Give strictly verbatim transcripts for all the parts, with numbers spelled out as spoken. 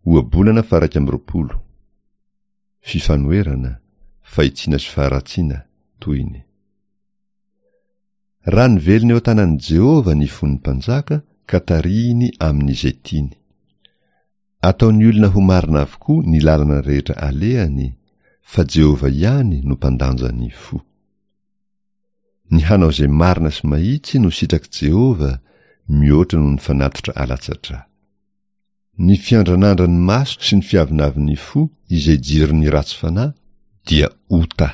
Ohabolana faha-iraika amby roapolo. Fifanoherana, fahitsiana sy faharatsiana, tohiny. Raha nivelona eo an-tanan'i Jehovah ny fon'ny mpanjaka ka tarihiny amin'izay tiany. Ataon'ny olona ho marina avokoa ny lalana rehetra alehany, fa Jehovah ihany no mpandanja ny fo. Ny hanao izay marina sy mahitsy no sitrak'i Jehovah mihoatra noho ny fanatitra alatsa-drà. Ny fiandranandran'ny maso sy ny fiavinavin'ny fo izay jiron'ny ratsy fanahy dia ota.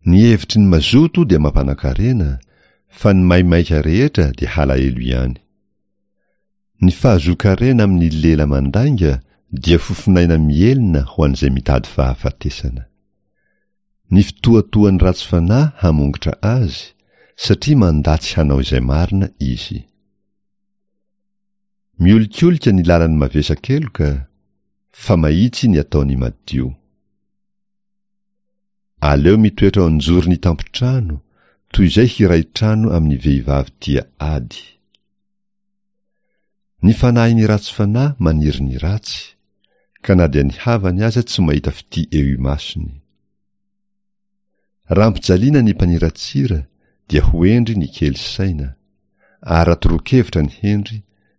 Ny hevitry ny mazoto dia mampanan-karena, fa ny maimaika rehetra dia halahelo ihany. Ny fahazoan-karena amin'ny lela mandainga dia fofonaina mihelina ho an'izay mitady fahafatesana. Ny fitohatohan'ny ratsy fanahy hamongotra azy, satria mandà tsy hanao izay marina izy. Miolikolika ny lalan'ny mavesa-keloka, fa mahitsy ny ataon'ny madio. Aleo mitoetra ao an-joron'ny tampon-trano, toy izay hiray trano amin'ny vehivavy tia ady. Ny fanahin'ny ratsy fanahy maniry ny ratsy, ka na dia ny havany aza tsy mahita fitia eo imasony. Raha ampijaliana ny mpaniratsira dia ho hendry ny kely saina, ary raha toroan-kevitra ny hendry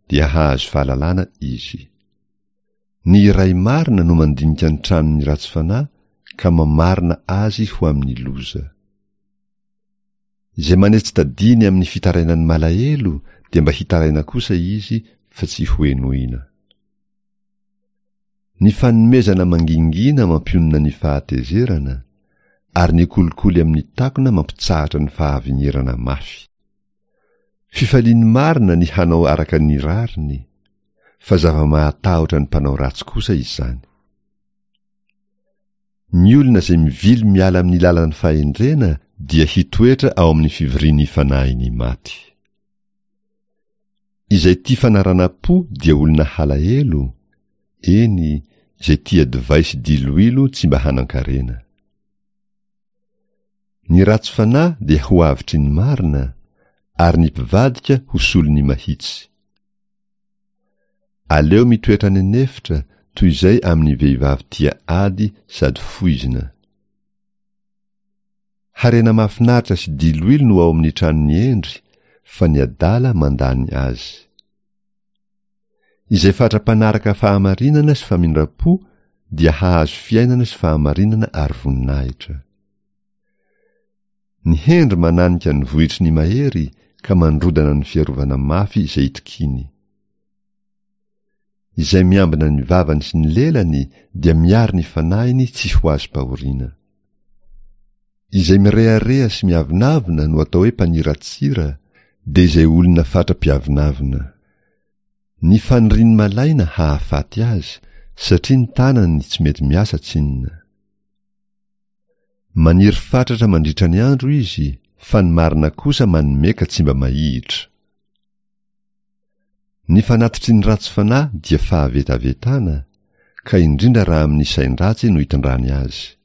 dia hahazo fahalalana izy. Ny iray marina no mandinika ny tranon'ny ratsy fanahy ka mamarina azy ho amin'ny loza. Izay manetsi-tadiny amin'ny fitarainan'ny malahelo dia mba hitaraina kosa izy fa tsy hohenoina. Ny fanomezana mangingina mampionona ny fahatezerana, ary ny kolikoly amin'ny takona mampitsahatra ny fahavinirana mafy. Fifalian'ny marina ny hanao araka ny rariny, fa zava-mahatahotra ny mpanao ratsy kosa izany. Ny olona izay mivily miala amin'ny lalan'ny fahendrena dia hitoetra ao amin'ny fivorian'ny fanahin'ny maty. Izay tia fanaranam-po dia olona halahelo, eny, izay tia divay sy diloilo tsy mba hanan-karena. Ny ratsy fanahy dia ho avotry ny marina, ary ny mpivadika ho solon'ny mahitsy. Aleo mitoetra any an'efitra toy izay amin'ny vehivavy tia ady sady foizina. Harena mahafinaritra sy diloilo no ao amin'ny tranon'ny hendry, fa ny adala mandany azy. Izay fatra-panaraka fahamarinana sy famindram-po dia hahazo fiainana sy fahamarinana ary voninahitra. Ny hendry mananika ny vohitry ny mahery ka mandrodana ny fiarovana mafy izay itokiany. Izay miambina ny vavany sy ny lelany dia miaro ny fanahiny tsy ho azom-pahoriana. Izay mirehareha sy miavonavona no atao hoe mpaniratsira, dia izay olona fatra-piavonavona. Ny fanirian'ny malaina hahafaty azy, satria ny tanany tsy mety miasa tsinona. Maniry fatratra mandritra ny andro izy, fa ny marina kosa manome ka tsy mba mahihitra. Ny fanatitry ny ratsy fanahy dia fahavetavetana, ka indrindra raha amin'ny sain-dratsy no itondrany azy.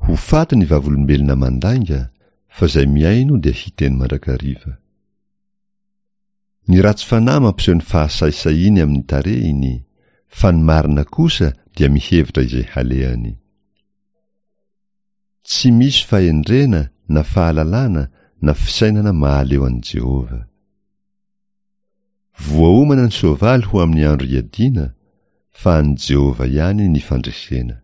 Ho faty ny vavolombelona mandainga, fa izay mihaino dia hiteny mandrakariva. Ny ratsy fanahy mampiseho ny fahasahisahiany amin'ny tarehiny, fa ny marina kosa dia mihevitra izay halehany. Tsy misy fahendrena na fahalalana na fisainana mahaleo an'i Jehovah. Voaomana ny soavaly ho amin'ny andro iadiana, fa an'i Jehovah ihany ny fandresena.